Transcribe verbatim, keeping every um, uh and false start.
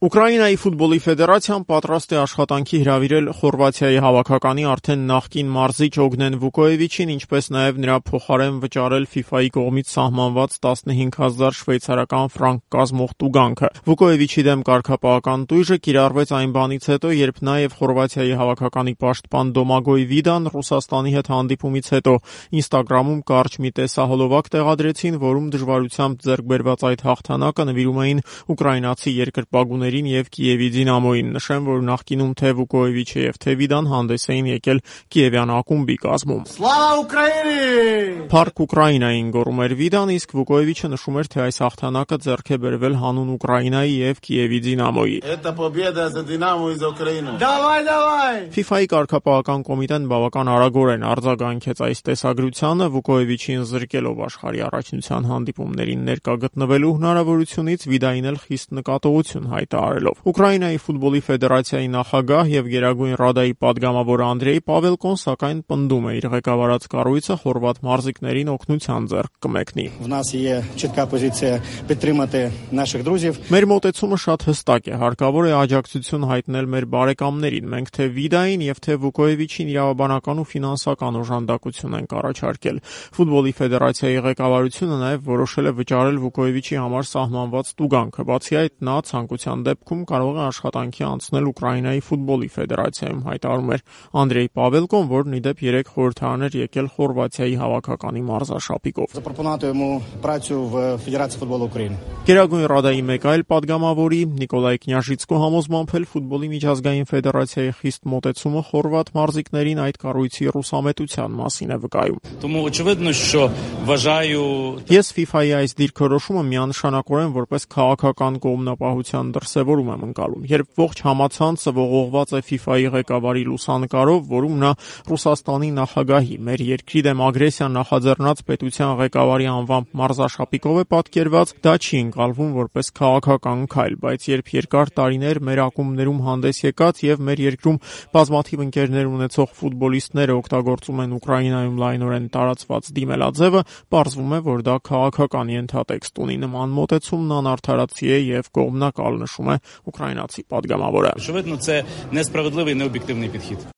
Ուկրաինայի ֆուտբոլի ֆեդերացիան պատրաստ է աշխատանքի հրավիրել Խորվաթիայի հավաքականի արդեն նախկին մարզիչ Օգնեն Վուկոևիչին, ինչպես նաև նրա փոխարեն վճարել ֆիֆայի կողմից սահմանված տասնհինգ հազար շվեյցարական ֆրանկ կազմող տուգանքը։ Վուկոևիչի դեմ կարգապահական տույժը կիրառվեց այն բանից հետո, երբ նա եւ Խորվաթիայի հավաքականի պաշտպան Դոմագոյ Վիդան Ռուսաստանի հետ հանդիպումից հետո Ինստագրամում կարճ մի տեսահոլովակ տեղադրեցին, որում դժվարությամբ ձեռք բերված այդ հաղթանակը նվիրում էին ուկրաինացի երկրպագուներին եւ Կիևի Դինամոյին։ Նշեմ, որ նախկինում թե Վուկոևիչը եւ թե Վիդան հանդես էին եկել Կիևյան ակումբի կազմում։ Սլավա Ուկրաինի! Փառք Ուկրաինային գոռում էր Վիդան, իսկ Վուկոևիչը նշում էր, թե այս հաղթանակը ձեռք է բերվել հանուն Ուկրաինայի եւ Կիևի Դինամոյի։ Это победа за Динамо из Украины. Давай, давай! ֆիֆայի կարգապահական կոմիտեն բավական արագորեն արձագանքեց այս տեսագրությանը, Վուկոևիչին զրկելով աշխարհի առաջնության հանդիպումներին ներկա գտնվելու հնարավորությունից, Վիդային էլ խիստ նկատողություն հայտարարելով։ Ուկրաինայի ֆուտբոլի ֆեդերացիայի նախագահ եւ Գերագույն ռադայի падգամավոր Անդրեյ Պավելկոն սակայն պնդում է, իր ղեկավարած կառույցը խորվաթ մարզիկներին օգնության ձեռք կմեկնի։ В нас є чітка позиція підтримати наших друзів. Մեր մոտեցումը շատ հստակ է, հարկավոր է աջակցություն հայտնել մեր բարեկամներին։ Մենք թե Վիդային եւ թե Վուկոևիչին իրավաբանական ու ֆինանսական օժանդակություն ենք առաջարկել։ Ֆուտբոլի ֆեդերացիայի ղեկավարությունը նաեւ որոշել է վճարել Վուկոևիչի համար սահմանված տուգանքը։ Բացի այդ, նա ցանկության դեպքում կարող է աշխատանքի անցնել Ուկրաինայի ֆուտբոլի ֆեդերացիայում, հայտարարում էր Անդրեյ Պավելկոն, որն ի դեպ երեք խորհրդարան էր եկել Խորվաթիայի հավաքականի մարզաշապիկով։ Запропонувати йому працю в Федерації футболу України. Գերագույն ռադայի մեկ այլ падգամավորի Նիկոլայ Կնյաժիցկո համոզմամբ էլ ֆուտբոլի միջազգային ֆեդերացիայի խիստ մոտեցումը խորվաթ մարզիկներին այդ կառույցի ռուսամետության մասին է վկայում։ Тому очевидно, що вважаю Ես ֆիֆայի այս դիրքորոշումը միանշանակորեն որպես քաղաքական կողմնապահության դրսևորում եմ ընկալում, երբ ողջ համացանցը ողողված է ֆիֆայի ղեկավարի լուսանկարով, որում նա Ռուսաստանի նախագահի, մեր երկրի դեմ ագրեսիա նախաձեռնած պետության ղեկավարի անվամբ մարզաշապիկով է պատկերված, դա չի ընկալվում որպես քաղաքական քայլ, բայց երբ երկար տարիներ մեր ակումբներում հանդես եկած եւ մեր երկրում բազմաթիվ ընկերներ ունեցող ֆուտբոլիստները օգտագործում են Ուկրաինայում լայնորեն տարածված դիմելաձևը, պարզվում է, որ դա քաղաքական ենթատեքստ ունի։ Նման մոտեցումն անարդարացի է եւ կողմնակալ, նշում է ուկրաինացի падգամավորը։ очевидно, це несправедливий, необ'єктивний підхід.